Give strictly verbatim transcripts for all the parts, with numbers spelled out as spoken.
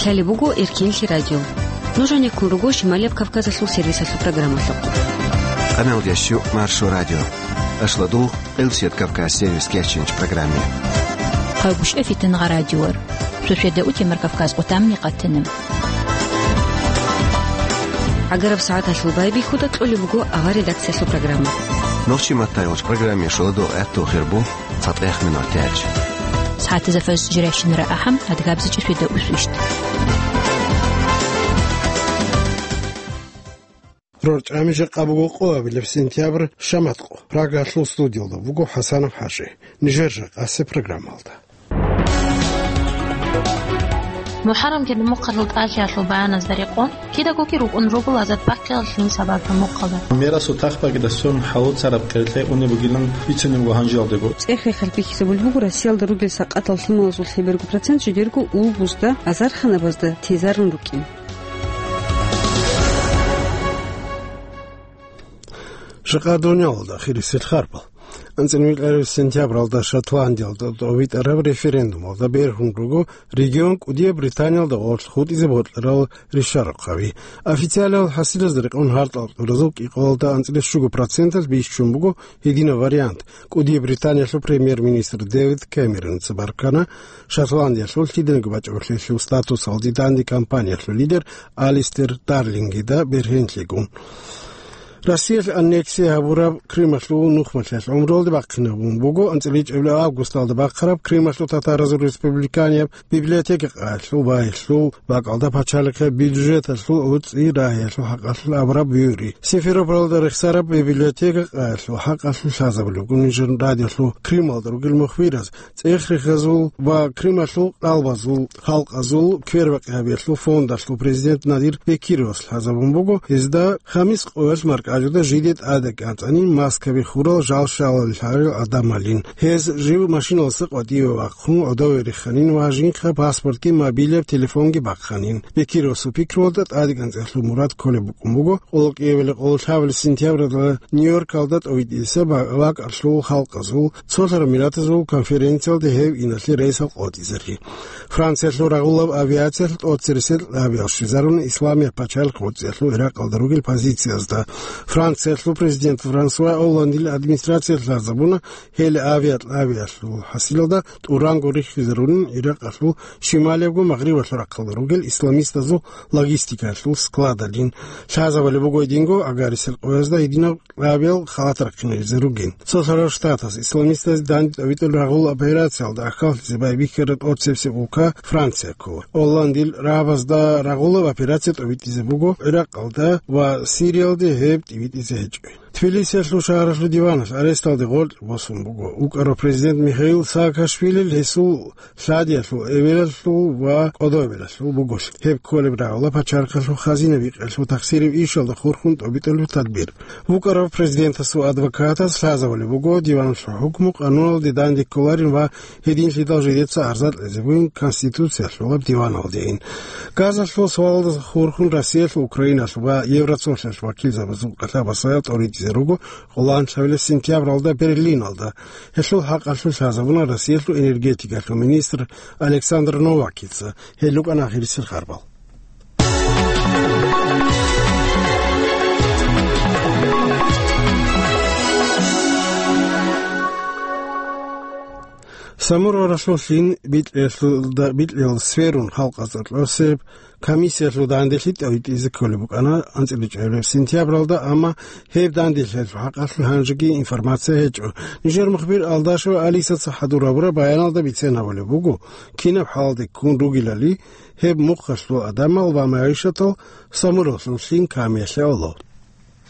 Лъалеб буго Эркенлъи радио. Нуж гьанеккун руго Шималияб Кавказалъул сервисалъул программалъухъ. Къамел ящу Маршо радио. Ашладул Къилсият Кавказ сервис кечинч программе. Къайгъушев Фитнагъа радиор. Шошеда утемар Кавказ къутамни къатина. Агараб сагӀаталъул байбихьуда кьолеб буго авар редакциялъул программа. Нохчи маттайгъуч программе шоладул гӀатту хирбу. ЦатӀех минут тяч. СагӀатазда фаз жирайщинара ахӀам, адгабзичӀеб шведа усвищт. РорчӀами жакъа буго къоабилеб сентябрь, шаматкъо. Прагалъул студиялда буго ХӀасанов ХӀажи. Нижер жакъасе программалда. МухӀаррам кеда мухъалъул тӀалъиялъул баяназда рекъон, кидаго-кир рукӀун руго азад бахъиялъул сабаблъун мухъалда. Мерасул тахбакӀида сверун хӀалуцараб къеркье унеб бугилан бицунеб буго гьанжеялдего. ЦӀех-рехал бихьизабулеб буго Россиялда ругел сакъатал лъималазул лъеберго процент жидерго улбузда, азарханабазда тезарун рукӀин. Жакъа дуниялалда хирисел харбал. АнцӀила витӀараб сентябралда Шотландиялда тӀовитӀараб референдумалда бергьун руго регион кӀудияб Британиялда гъорлъ хутӀизе бокьарал ришарахъаби. Официалиял хӀасилазда рекъон гьартӀал кьуразул кӀикъоялда анцӀила щуго проценталъ бищун буго гьединаб вариант. КӀудияб Британиялъул премьер-министр Дэвид Кэмероница баркана Шотландиялъул лъиданиги бачӀунеб лъелъул статусалде данде кампаниялъул лидер Алистер Дарлингида бергьенлъигун. Россиялъ аннексия гьабураб Крымалъул нухмалъиялъ гӀумруялде бахъинабун буго анцӀила ичӀабилеб августалда бахъараб Крымалъул татаразул республиканияб библиотека къаялъул байилъул бакӀалда пачалихъе бюджеталъул гӀуцӀи рагьиялъул хӀакъалъулъ абураб буюри. Симферопольалда рехсараб библиотека къаялъул хӀакъалъулъ лъазабулеб буго нижер радиолъул Крымалда ругел мухбираз, цӀех-рехазул ва Крымалъул къалбазул халкъазул квербакъи гьабиялъул фондалъул президент Надир Бекировас лъазабун буго, гьезда хамис къоялъ маркӀачӀуда жиде тӀадегӀанцӀани маскаби хурал жал-шалал гьарил гӀадамалин. Гьез жив машиналдаса къватӀиве вахъун гӀодове рихханин ва жинхъа паспортги мобилаб телефонги бахъанин. Бекировасул пикруялда тӀадегӀанцӀиялъул мурад кколеб букӀун буго къоло кӀиабилеб къоло лъабабилеб сентябралда Нью-Йоркалда тӀовитӀизе ба-, бакӀалъул халкъазул цолъараб миллатазул конференциялде гьев иналъе рейсал къотӀизари. Франциялъул рагъулаб авиациялъ тӀоцересел лъабиялъ щвезаруна Исламияб пачалихъ гӀуцӀиялъул Иракъалда ругел позициязда. Франциялъул президент Франсуа Олландил администрациялъ лъазабуна гьел авиалъабиялъул хӀасилалда тӀуранго риххизарунин Иракъалъул шималиябго магърибалъул рахъалда ругел исламистазул логистикаялъул складалин. Лъазабулеб буго гьединго агарисел къоязда гьединаб лъабиял халат рахъинабизе ругин. Цолъарал Штатаз исламистазе данде тӀовитӀулеб рагъул операциялда ахӀаллъизе байбихьараб тӀоцебесеб улка Франция ккола. Олландил рагӀабазда рагъулаб операция тӀовитӀизе буго Иракъалда ва Сириялде, гьеб тӀибитӀизе гьечӀо. Тбилисиялъул шагьаралъул диваналъ аресталде гъоркь босун буго вукӀарав президент Михаил Саакашвилил, гьесул лъадиялъул эбелалъул ва кӀодобелалъул буголъ. Гьеб кколеб рагӀула пачалихъалъул хазина бикъиялъул тахсираб ишалда хурхун тӀобитӀулеб тадбир. ВукӀарав президентасул адвокатас лъазабулеб буго диваналъул хӀукму къануналде данде кколарин ва гьединлъидал жидеца арза кьезе бугин Конституциялъулаб диваналдейин. Газалъул свалалда хурхун Россиялъ, Украиналъ ва Евроцолъалъ вакилзабазул кӀалъабасда тӀоритӀизе руго къоло лъабабилеб сентябралда Берлиналда. Гьелъул хӀакъалъулъ лъазабуна Россиялъул энергетикалъул министр Александр Новакица. Гьел рукӀана ахирисел харбал. Самур гӀуралъул лъим бикьиялда-, бикьиялда сверун халкъазда кьосеб комиссиялъул данделъи тӀовитӀизе кколеб букӀана анцӀила чӀвабилеб сентябралда, амма гьеб данделъиялъул хӀакъалъулъ гьанжеги информация гьечӀо. Нижер мухбир Алдашева Алисаца хӀадур гьабураб баяналда бицен гьабулеб буго, кинаб хӀалалде ккун ругелали гьеб мухъалъул гӀадамал ва магӀишатал Самур гӀуралъул лъим камиялъе гӀоло.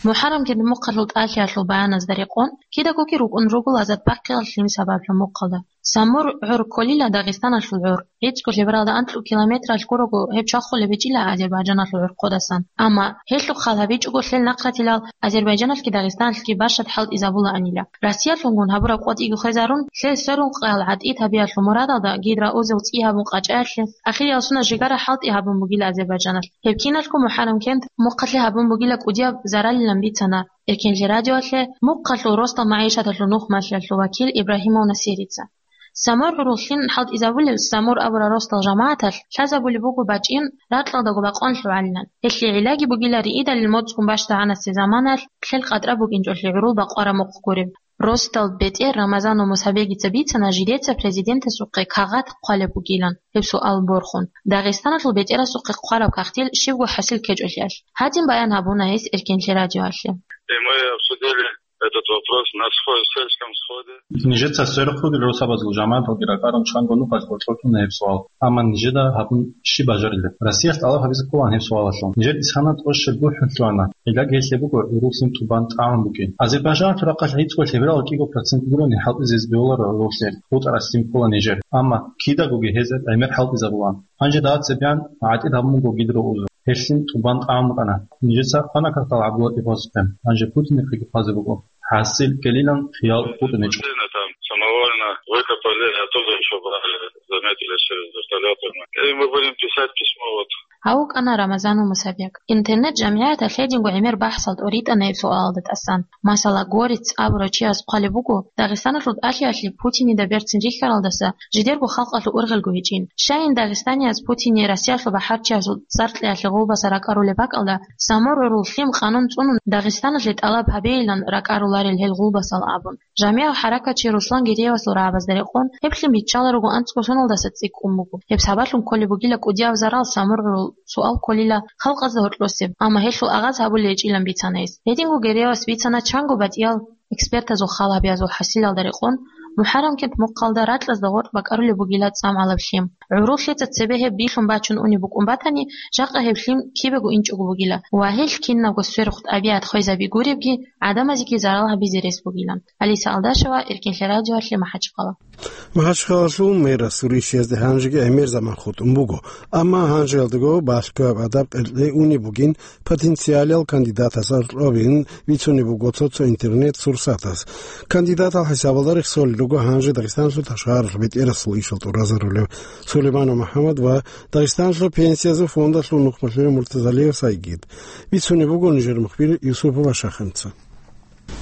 МухӀаррам кеда мухъалъул тӀалъиялъул баяназда рекъон, кидаго-кир рукӀун руго азад бахъиялъул лъим сабаблъун мухъалда. Самур гӀур кколила Дагъистаналъул гӀур. ГӀицӀго лъебералда анкьго километралъ гурого гьеб чвахулеб гьечӀила Азербайджаналъул гӀурхъудасан. Амма гьелъухъ хал гьабичӀого лъел нахъратилал Азербайджаналъги Дагъистаналъги башад хӀалтӀизабулаанила. Россиялъунгун гьабураб къотӀиго хвезарун, лъел сверун къоял гӀатӀид гьабиялъул мурадалда гидроузел цӀи гьабун къачӀаялъе, ахириял сунат жигара хӀалтӀи гьабун бугила Азербайджаналъ. Гьеб киналго МухӀаррам кент мухъалъе гьабун бугила кӀудияб заралилан бицана Эркенлъи радиоялъе мухъалъул росдал магӀишаталъул нухмалъиялъул вакил Ибрагьимов Насирица. Самур гӀурул лъим хӀалтӀизабулел Самур абурал росдал жамагӀаталъ лъазабулеб буго бачӀин ракьалдаго бакъон лъугӀалилан. Гьелъие гӀиллаги бугила риидалил моцӀгун бащдагӀанасеб заманалъ кьел къатӀра букӀинчӀолъи гӀурул бакъвараб мухъ гуреб. Росдал бетӀер Рамазанов Мусабегица бицана жидеца президентасухъе кагъат хъвалеб бугилан гьеб суал борхун. Дагъистаналъул бетӀерасухъе хъвараб кагътил щибго хӀасил ккечӀолъиялъ. Гьадин баян гьабуна гьес Эркенлъи радиоялъе. И мы обсудили этот вопрос на схо-, сельском сходе. Нижеца сверухъ ругел росабазул жамагӀаталги ракӀарун чанго нухалъ гъоркьор кьуна гьеб суал. Амма нижеда гьабун щиб бажарилеб? Россиялъ тӀалаб гьабизе кколаан гьеб суалалъул. Нижер исхана тӀощел бухӀун лъугьана. Гьелъ гьеб буго гӀурул лъим тӀубан тӀагӀун букӀин. Азербайжаналъул рахъалъ гӀицӀго лъеберал кӀиго процент гурони хӀалтӀизе гьезбе бегьуларо гӀурул лъим. ГъутӀарас лъим ккола нижер. Амма кидаго гьезда гӀемер хӀалтӀизабулаан. Гьанже дагьаб цебегӀан гӀатӀид гьабун буго гидро узу. Гьелъин тӀубан тӀагӀун букӀана. Нижеца хъвана кагътал ГӀабдуллатӀиповасухъе. Гьанже Путинихъеги хъвазе буго. ХӀасил ккелилан хиял букӀинчӀо. Там самовольно выкопали, и оттуда ещё брали, заметили через вертолёты. И мы будем писать письмо, вот. Гьав вукӀана Рамазанов Мусабек. Интернет-жамгӀияталъ гьединго гӀемер бахӀсал тӀоритӀана гьеб суалалда тӀасан. Масала, Горец абурав чияс хъвалеб буго, Дагъистаналъул тӀалъиялъе Путинида берцин рихьаралдаса жидерго халкъалъул ургъелго гьечӀин. Щайин дагъистанияз Путине Россиялъул бахӀарчиясул цӀар кьеялъе гъулбаса ракӀарулеб бакӀалда, Самур гӀурул лъим къанун цӀунун Дагъистаналъе тӀалаб гьабейилан ракӀаруларел гьел гъулбасал абун. ЖамигӀав хӀаракатчи Руслан Гереевасул рагӀабазда рекъон, гьеб лъим биччаларуго анцӀго соналдаса цӀикӀкӀун буго. Гьеб сабаблъун кколеб бугила кӀудияб зарал Самур гӀурул суал кколила халкъазда гьоркьосеб, амма гьелъул агъаз гьабулей гьечӀилан бицана гьес. Гьединго Гереевас бицана чанго батӀиял экспертазул хал гьабиязул хӀасилалда рекъон, МухӀаррамкент мухъалда ракьазда гъоркь бакӀарулеб бугила цӀамгӀалаб лъим. ГӀурул лъица цебе гьеб билъун бачун унеб букӀун батани, жакъа гьеб лъим кибего инчӀого бугила ва гьелъ кинабго сверухъ тӀабигӀат хвезаби гуребги, гӀадамазеги зарал гьабизе рес бугилан. Алиса Алдашева, Эркенлъи радиоялъе, МахӀачхъала. МахӀачхъалалъул мэрасул ришиязде гьанжеги гӀемер заман хутӀун буго, амма гьанжеялдаго балъгояб гӀадаб кьеркьей унеб бугин, потенциалиял кандидатас аркьобин бицунеб буго цо-цо интернет-сурсатаз. Кандидатал хӀисабалда рехсолел руго гьанже Дагъистаналъул ташгъаралъ бетӀерасул ишал тӀуразарулев Сулейманов МухӀаммад ва Дагъистаналъул пенсиязул фондалъул нухмалъулев Муртазалиев Сайгид. Бицунеб буго нижер мухбир Юсупова Шахамца.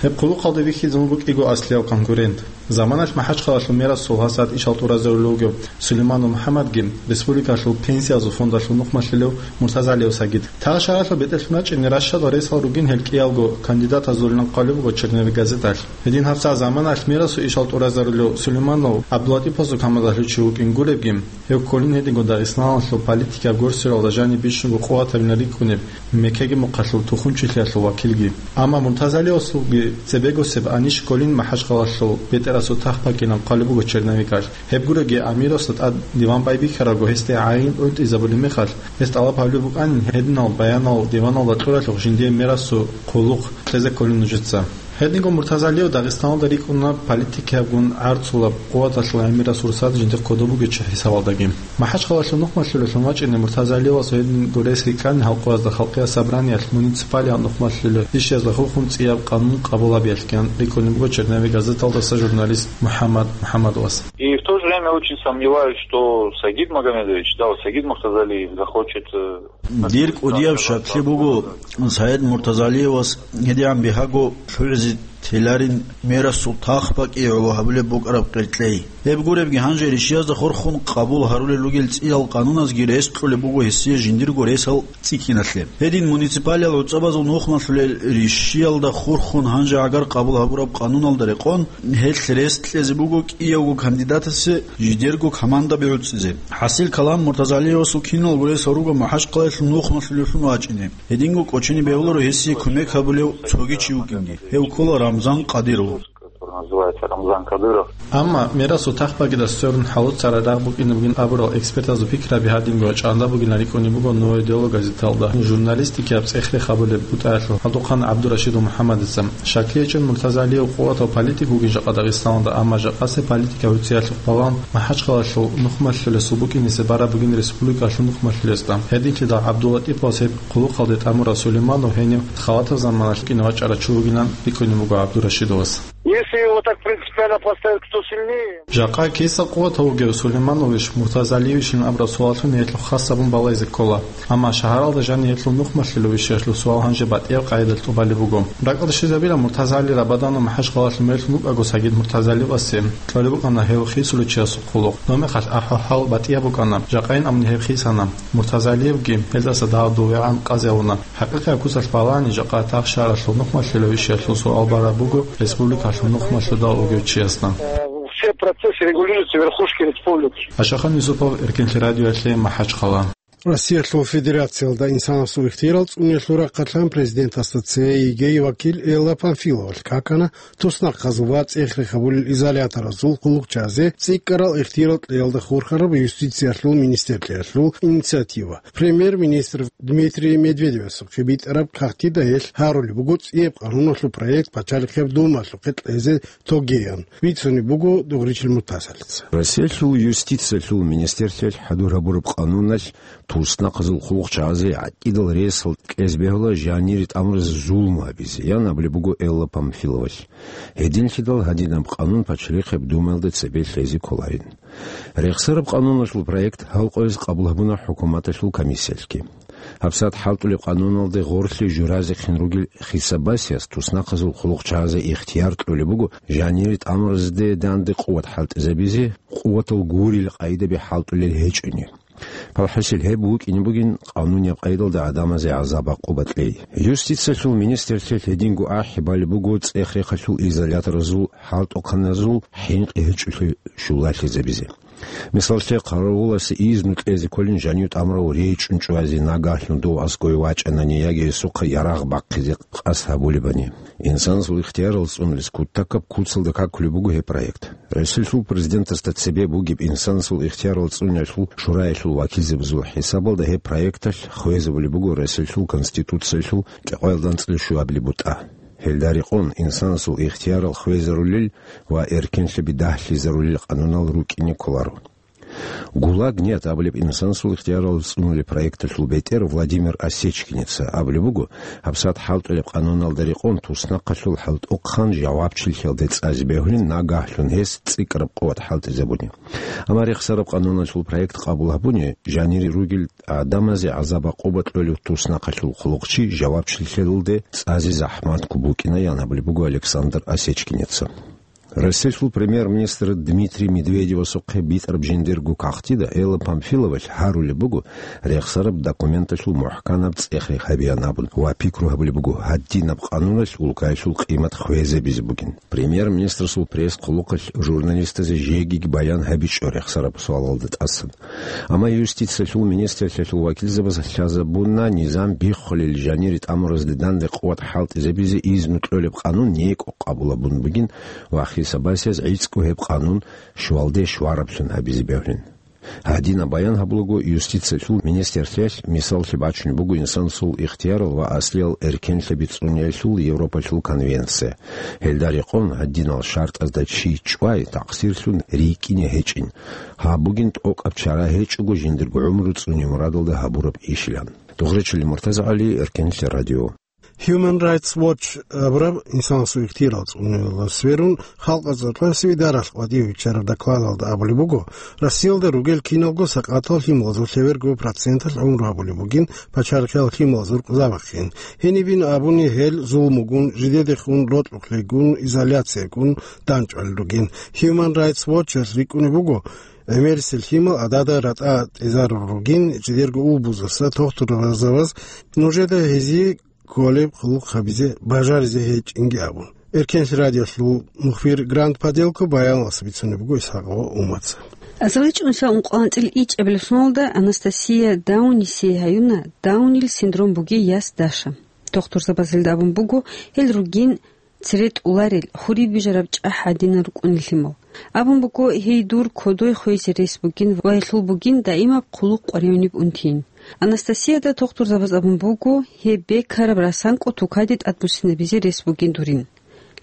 Гьеб хъулухъалде вихьизе вуго кӀиго аслияв конкурент. Заманалъ МахӀачхъалалъул мерасул гьасад ишал тӀуразарулев вугев Сулейманов МухӀаммадги, республикалъул пенсиязул фондалъул нухмалъулев Муртазалиев Сайгид. Тагъ шагьаралъул бетӀерлъун рачӀине ращадал ресал ругин гьел кӀиялго кандидатазулилан хъвалеб буго «Черновик» газеталъ. Гьедин гьабсагӀат заманалъ мерасул ишал тӀуразарулев Сулейманов ГӀабдуллатӀиповасул камадалъучи вукӀин гуребги, гьев кколин гьединго Дагъистаналъул политикияб горсиялда жаниб бищунго къуватабилан рикӀкӀунеб Меккеги мухъалъул тухумчилъиялъул вакилги. Амма Муртазалиевасулги цебегосеб анищ кколин МахӀачхъалалъул бетӀерасул тахпакилан хъвалеб буго «Черновикалъ». Гьеб гуроги, амирасда тӀад диван байбихьарабго гьесде гӀайин гӀунтӀизабулеб мехалъ, гьес тӀалаб гьабулеб букӀанин гьединал баянал диваналда кьуралъухъ жиндие мерасул хъулухъ кьезе кколин нужеца. Гьединго Муртазалиев Дагъистаналда рикӀкӀуна политикиябгун гӀарцулаб къуваталъул гӀемерасул сурсат жиндихъ кодоб бугечӀеб хӀисабалдаги. МахӀачхъалалъул нухмалъулелъун вачӀине Муртазалиевас гьедин гурес рикӀкӀани халкъазда халкъияб собраниялъ муниципалияб нухмалъулел ришиязда хурхун цӀияб къанун къабул гьабиялъ ккан рикӀкӀунеб буго «Черновик» газеталдаса журналист МухӀаммад МухӀаммадовас. И в то же время очень сомневаюсь, что Сагид Магомедович, да, вот Сагид Муртазалиев захочет, э, Дир кӀудияб щаклъи буго, Саид Муртазалиевас гьедигӀан бигьаго лъугӀизе теларин мерасул тахпакӀи гӀоло гьабулеб букӀараб къеркьей. Гьеб гуребги, гьанже ришиязда хурхун къабул гьарулел ругел цӀиял къануназги рес кьолеб буго гьесие жиндирго ресал цӀикӀкӀиналъе. Гьедин муниципалиял гӀуцӀабазул нухмалъулел ришиялда хурхун гьанже гӀагар къабул гьабураб къануналда рекъон, гьелъ рес кьезе буго кӀиявго кандидатасе жидерго командаби гӀуцӀизе. ХӀасил калам, Муртазалиевасул киналго ресал руго МахӀачхъалаялъул нухмалъулевлъун вачӀине. Гьединго кӀочине бегьуларо гьесие кумек гьабулев цоги чи вукӀинги. Гьев ккола Рамзан Кадыров. Который называется Рамзан Кадыров. Амма мерасул тахпакӀида сверун хӀалуцарай рагъ букӀине бугин абурал экспертазул пикраби гьадинго чӀанда бугилан рикӀкӀунеб буго «Новое дело» газеталда журналистикияб цӀех-рех гьабулеб бутӀаялъул гьадухъан ГӀабдурашидов МухӀаммадица. Щаклъи гьечӀин, Муртазалиев къуватав политик вугин жакъа Дагъистаналда, амма жакъасеб политикияб гӀуцӀиялъухъ балагьун МахӀачхъалалъул нухмалъулесул букӀинисе бараб бугин республикалъул нухмалъулесда. Гьединлъидал ГӀабдуллатӀиповас гьеб хъулухъалде тӀамурав Сулейманов гьенив халатаб заманалъ вукӀине вачӀарав чи вугилан рикӀкӀунеб буго ГӀабдурашидовас. Если его так принципиально поставить, кто сильнее? Жакъа киса къуватав вугев, Сулеймановищ, Муртазалиевищин абураб суаллъун гьелъул хас гьабун балайзе ккола. Амма шагьаралда жанир гьелъул нухмалъилавищ гьелъул суал гьанже батӀияб къайдалъ тӀубалеб буго. РакӀалде щвезабила Муртазали Рабаданов МахӀачхъалалъ мерлъун вукӀаго Сагид Муртазалиевасе. Кьолеб букӀана гьев хисулев чиясул хъулухъ. Доб мехалъ ахӀвал-хӀал батӀияб букӀана, жакъайин абуни гьеб хисана. Муртазалиевги гьелдаса дагьав довегӀан къазе гьавуна. ХӀакъикъияб куцалъ балагьани, жакъа тахшаралъул нухмалъилавищ гьелъул суал бараб буго республикалъул нухмалъудал вугев чиясда. Все процессы регулируются верхушки республики. Ашахан Юсупов, Эркенлъи радиоялъе, МахӀачхъала. Россиялъул Федерациялда инсанасул ихтиярал цӀуниялъул рахъалъан президентасда цее ЕГЭ-й вакил Элла Памфиловалъ какана туснахъазул ва цӀех-рех гьабулел изоляторазул хъулухъчазе цӀикӀкӀарал ихтиярал кьеялда хурхараб юстициялъул министрлъиялъул инициатива. Премьер-министр Дмитрий Медведевасухъе битӀараб кагътида гьелъ гьарулеб буго цӀияб къануналъул проект Пачалихъеб Думаялъухъе кьезе тогеян, бицунеб буго Дугъричил Муртазалица. Россиялъул юстициялъул министрлъиялъ хӀадур гьабураб къануналъ туснахъазул хъулухъчагӀазе гӀакъидал ресал кьезе бегьула жанире тӀамуразе зулму гьабизе, ян абулеб буго Элла Памфиловалъ. Гьединлъидал гьадинаб къанун Пачалихъеб Думаялда цебе лъезе кколарин. Рехсараб къануналъул проект гьал къояз къабул гьабуна хӀукуматалъул комиссиялъги. ГьабсагӀат хӀалтӀулеб къануналде гъорлъе журазехъин ругел хисабасияс туснахъазул хъулухъчагӀазе ихтияр кьолеб буго жанире тӀамуразде данде къуват хӀалтӀизабизе, къуватал гурил къайдаби хӀалтӀулел гьечӀони. Палхасил гьеб вукӀине бугин къанунияб къайдалда гӀадамазе гӀазаб-гӀакъуба кьей. Юстициялъул министрлъиялъ гьединго ахӀи балеб буго цӀех-рехалъул изоляторазул хӀалтӀухъаназул хӀинкъи гьечӀолъи щулалъизабизе. Мисаллъе, хъаравуласе изну кьезе кколин жанив тӀамурав речӀчӀун чӀвазе, нагагьлъун дов аскӀове вачӀанани яги гьесухъа ярагъ бахъизе къасд гьабулебани. Инсанасул ихтиярал цӀунулес кутакаб куцалда какулеб буго гьеб проект. Россиялъул президентасда цебе бугеб инсанасул ихтиярал цӀуниялъул шураялъул вакилзабазул хӀисабалда гьеб проекталъ хвезабулеб буго Россиялъул Конституциялъул кӀикъоялда анцӀила щуабилеб бутӀа. Гьелда рекъон инсанасул ихтиярал хвезарулел ва эркенлъаби дагьлъизарулел къанунал рукӀине кколаро. «ГУЛАГ нет» абулеб инсанасул ихтиярал цӀунулеб проекталъул бетӀер Владимир Осечкинеца абулеб буго, гьабсагӀат хӀалтӀулеб къануналда рекъон туснахъалъул хӀалтӀухъан жавабчилъиялде цӀазе бегьулин, нагагьлъун гьес цӀикӀкӀараб къуват хӀалтӀизабуни. Амма рехсараб къануналъул проект къабул гьабуни, жанире ругел гӀадамазе гӀазаб-гӀакъуба кьолев туснахъалъул хъулухъчи жавабчилъиялде цӀазе захӀматго букӀина, ян абулеб буго Александр Осечкинеца. Россиялъул премьер-министр Дмитрий Медведевасухъе битӀараб жиндирго кагътида Элла Памфиловалъ гьарулеб буго, рехсараб документалъул мухӀканаб цӀех-рех гьабеян абун ва пикру гьабулеб буго, гьадинаб къануналъ улкаялъул къимат хвезабизе бугин. Премьер-министрасул пресс-хъулухъалъ журналистазе жегиги баян гьабичӀо рехсараб суалалда тӀасан. Амма юстициялъул министрлъиялъул вакилзабаз лъазабуна низам биххулел жанире тӀамуразде данде къуват хӀалтӀизабизе изну кьолеб къанун некӀо къабул гьабун бугин ва хисабасияз гӀицӀго гьеб къанун щуалде щвараблъун гьабизе бегьулин. Гьадинаб баян гьабулаго юстициялъул министрлъиялъ мисаллъи бачунеб буго инсанасул ихтиярал ва аслиял эркенлъаби цӀуниялъул Европалъул конвенция. Гьелда рекъон гьадинал шартӀазда чи чӀвай такъсирлъун рикӀкӀине гьечӀин. Гьаб бугин тӀокӀаб чара гьечӀого жиндирго гӀумру цӀуне мурадалда гьабураб ишилан. Дугъричилин Муртаза ГӀали, Эркенлъи радио. Human Rights Watch абураб инсанасул ихтиярал цӀунулел сверун халкъазул къвасив даралъ къватӀив виччараб докладалда абулеб буго, Россиялда ругел киналго сакъатал лъималазул лъеберго проценталъ гӀумру гьабулеб бугин пачалихъал лъималазул рукъзабахъин. Гьенибин абуни гьел зулмугун, жидедехун рокьукълъигун, изоляциягун данчӀвалел ругин. Human Rights Watch-ас рикӀкӀунеб буго, гӀемерисел лъимал гӀадада ратӀа тӀезарун ругин, жидерго улбузаса тохтурзабаз нужеда гьезие кколеб хъулухъ гьабизе бажаризе гьечӀинги абун. Эркенлъи радиолъул мухбир Грант Паделко баяналъ бицунеб буго Исхакъова Умаца. Азарилчи ункъоялда анцӀила ичӀабилеб соналда Анастасия Даунисе гьаюна Даунил синдром бугей яс Даша. Тохтурзабаз гьелда абун буго, гьел ругин цере тӀуларел, хуриб бижараб чӀахӀ гӀадинал рукӀунел лъимал. Абун буго, гьей дур кодой хвезе рес бугин ва гьелъул бугин даимаб хъулухъ къваригӀунеб унтин. Анастасияда тохтурзабаз абун буго, гьеб бекараб расанкъо тукаде тӀадбуссинабизе рес бугин дурин.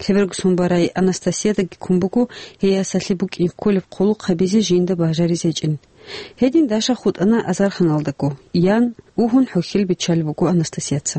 Лъеберго сон барай Анастасиядаги ккун буго, гьей ясалъе букӀине кколеб хъулухъ гьабизе жинда бажаризе гьечӀин. Гьедин Даша хутӀана азарханалдаго, ян, угьун хӀухьел биччалеб буго Анастасияца.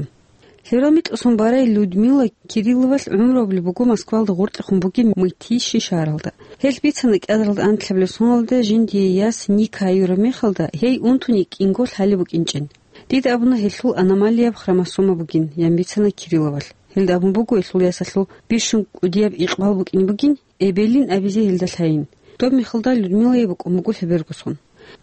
Гьеб микьусун барай Людмила Кирилловалъ гӀумру абулеб буго Москвалда гъоркьехун бугеб Мытищи шагьаралда. Гьелъ бицана кӀиабилеб соналда жиндие яс Ника гьаюраб мехалда, гьей унтуни кӀинго лъалеб букӀинчӀин. Дида абуна гьелъул аномалияб хромосома бугин, ян бицана Кирилловалъ. Гьелда абун буго гьелъул ясалъул бищун кӀудияб икъбал букӀине бугин, эбелин абизе гьелда лъайин. Доб мехалда Людмилае букӀун буго лъеберго сон.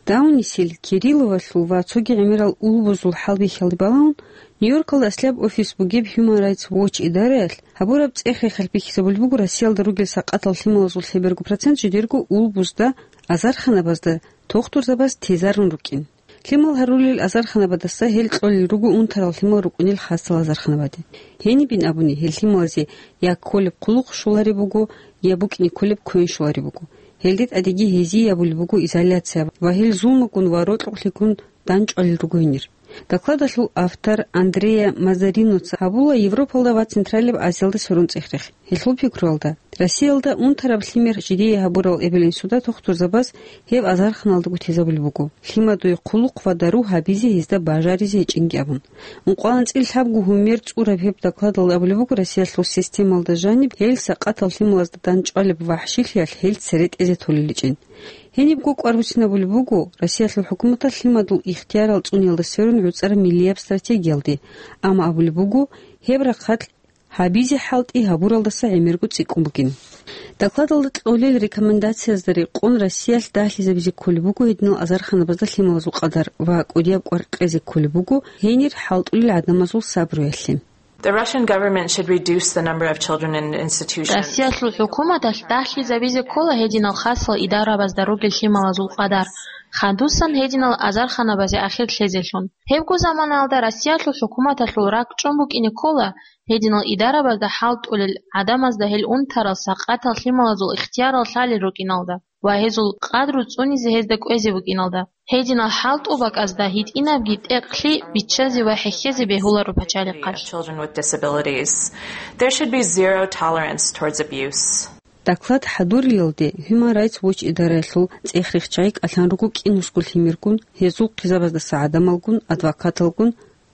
Даунисел, Кирилловалъул ва цоги гӀемерал улбузул хӀалбихьиялде балагьун, Нью-Йоркалда аслияб офис бугеб Human Rights Watch идараялъ гьабураб цӀех-рехалъ бихьизабулеб буго Россиялда ругел сакъатал лъималазул лъеберго процент жидерго улбузда, азарханабазда, тухтурзабаз тезарун рукӀин. Лъимал гьарулел азарханабадаса гьел кьолел руго унтарал лъимал рукӀунел хасал азарханабаде. Гьенибин абуни, гьел лъималазе я кколеб хъулухъ щолареб буго, я букӀине кколеб квен щолареб буго. Гьелде тӀадеги гьезие абулеб буго изоляция ва гьел зулмугун ва рокьукълъигун данчӀвалел руго гьенир. Докладалъул автор Андреа Мазариноца гьабула Европалда ва Централияб Азиялда сверун цӀех-рех. Гьелъул пикруялда, Россиялда унтараб лъимер жидее гьабурал эбел-инсуда тухтурзабаз гьеб азарханалдаго тезабулеб буго, лъимадуе хъулухъ ва дару гьабизе гьезда бажаризе гьечӀинги абун. Ункъоялда анцӀила лъабго гьумер цӀураб гьеб докладалда абулеб буго, Россиялъул системалда жаниб гьел сакъатал лъималазда данчӀвалеб вахӀшилъиялъ гьел цере тӀезе толел гьечӀин. Гьенибго кӀвар буссинабулеб буго Россиялъул хӀукуматалъ лъимадул ихтиярал цӀуниялда сверун гӀуцӀараб миллияб стратегиялде, амма абулеб буго, гьеб рахъалъ гьабизе хӀалтӀи гьабуралдаса гӀемерго цӀикӀкӀун бугин. Докладалда кьолел рекомендациязда рекъон Россиялъ дагьлъизабизе кколеб буго гьединал азарханабазда лъималазул къадар ва кӀудияб кӀвар кьезе кколеб буго гьенир хӀалтӀулел гӀадамазул сабруялъе. The Russian government should reduce the number of children in institutions. Россиялъул хӀукуматалъ дагьлъизабизе ккола гьединал хасал идарабазда ругел лъималазул къадар, хадусан гьединал азарханабазе ахир лъезелъун. Гьебго заманаялда Россиялъул хӀукуматалъул ракӀчӀун букӀине ккола гьединал идарабазда хӀалтӀулел гӀадамазда гьел унтарал сакъатал лъималазул ихтиярал лъалел рукӀиналда ва гьезул къадру цӀунизе гьезда кӀвезе букӀиналда. Гьединал хӀалтӀул бакӀазда гьитӀинабги тӀекълъи биччазе ва хӀехьезе бегьуларо пачалихъалъ. Children with disabilities. There should be zero tolerance towards abuse. Доклад хӀадурилалде Human Rights Watch идараялъул цӀех-рехчагӀи кӀалъан руго кӀинусго лъимергун, гьезул хъизабаздаса гӀадамалгун, адвокаталгун,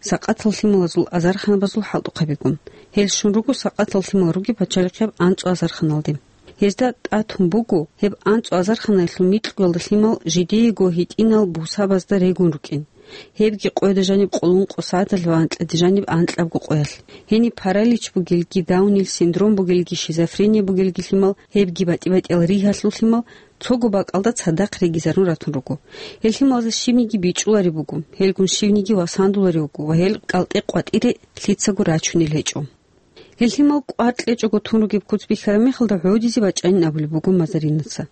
сакъатал лъималазул азарханабазул хӀалтӀухъабигун. Гьел щун руго сакъатал лъимал ругеб пачалихъияб анцӀу азарханалде. Гьезда тӀатун буго, гьеб анцӀу азарханаялъул микьуялда лъимал жидеего гьитӀинал бусабазда регун рукӀин. Гьебги къояда жаниб къулун къо сагӀаталъ ва анкьаде жаниб анкьабго къоялъ. Гьениб паралич бугелги, Даунил синдром бугелги, шизофрения бугелги лъимал гьебги батӀи-батӀиял ригьалъул лъимал цого бакӀалда цадахъ регизарун ратун руго. Гьел лъималазда щибниги бичӀчӀулареб буго, гьелгун щибниги васандуларев вуго ва гьел кӀалтӀе-къватӀире лъицаго рачунел гьечӀо. Гьел лъимал кӀвар кьечӀого тун ругеб куц бихьараб мехалда гӀодизе бачӀанин абулеб буго Мазаринаца.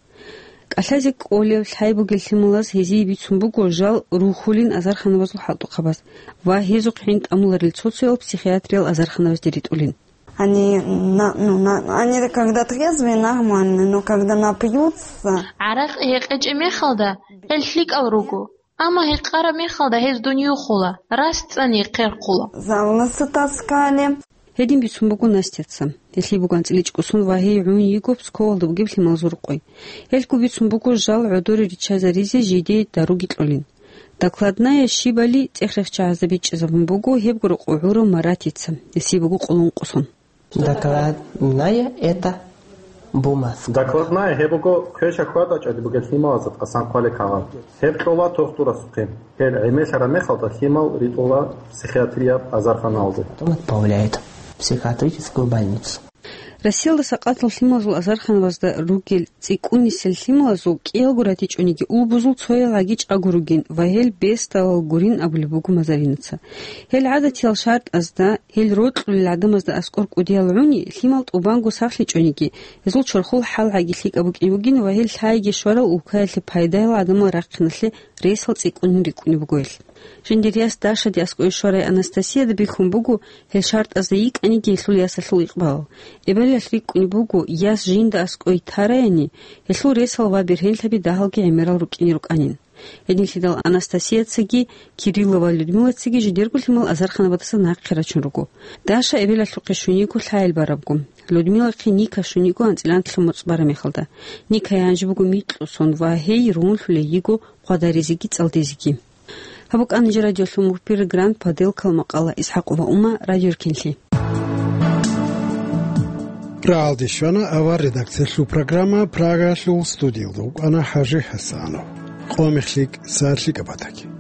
КӀалъазе кӀолев лъай бугел лъималаз гьезие бицун буго жал рухьулин азарханабазул хӀалтӀухъабаз ва гьезухъ гӀин тӀамуларел цо-цоял психиатриял азарханабазде ритӀулин. Они, на-, ну, на-, они когда трезвые, нормальные, но когда напьются, ГӀаракь гьекъечӀеб мехалда, гьел лъикӀал руго, амма гьекъараб мехалда гьез дуниюхула, рас цӀани хъерхъула. За волосы таскали. Гьедин бицун буго Настяца. Гьелъие буго анцӀила ичӀго сон ва гьей гӀун йиго псковалда бугеб лъималазул рукъой. Гьелъго бицун буго жал гӀодоре риччазаризе жидее даруги кьолин. Докладная щибали цӀех-рехчагӀазда бичӀчӀизабун буго гьебго рокъов гӀурав Маратица, гьесие буго къулун къо сон. Докладная это бумажка. Докладная гьеб буго квеша хьвадачӀаги бугел лъималазда тӀасан хъвалел кагъат. Гьеб кьола тухтурасухъе. Гьел гӀемерлъараб мехалда лъимал ритӀула психиатрияб азарханалде. Потом отправляют в психиатрическую больницу. Россиялда сакъатал лъималазул азарханабазда ругел цӀикӀкӀунисел лъималазул кӀиялго ратичӀониги улбузул цоял гӀаги чӀаго ругин ва гьел бесдалал гурин абулеб буго Мазаринаца. Гьел гӀадатиял шартӀазда, гьел рокьулел гӀадамазда аскӀор кӀудиял гӀуни, лъимал тӀубанго сахлъичӀониги, гьезул чорхол хӀал гӀаги лъикӀаб букӀин бугин ва гьел лъайги щварал улкаялъе пайдаял гӀадамал рахъиналъе ресал цӀикӀкӀунин рикӀкӀунеб буго гьел. Жиндир яс Дашаде аскӀове щварай Анастасияда бихьун буго гьел шартӀазда йикӀаниги гьелъул ясалъул икъбал. Эбелалъ рикӀкӀунеб буго, яс жинда аскӀове тараяни, гьелъул ресал ва бергьенлъаби дагьалги гӀемерал рукӀине рукӀанин. Гьединлъидал Анастасияцаги, Кириллова Людмилацаги жидерго лъимал азарханабадаса нахъе рачун руго. Даша эбелалъухъе щун йиго лъайил барабго, Людмилахъе Ника щун йиго анцӀила анкьлъун моцӀ бараб мехалда. Никае гьанже буго микьу сон ва гьей ругьунлъулей йиго хъвадаризеги цӀалдизеги. Гьаб букӀана жо радиолъун бугеб программа «Поделкал» макъала. ИсхӀакъова Ума, радиоркинлъи. РагӀалде щвана авар редакциялъул программа. Прагалъул студиялда вукӀана ХӀажи ХӀасанов. Къо мехлъи кӀиго сагӀат лъикӀаб батаги.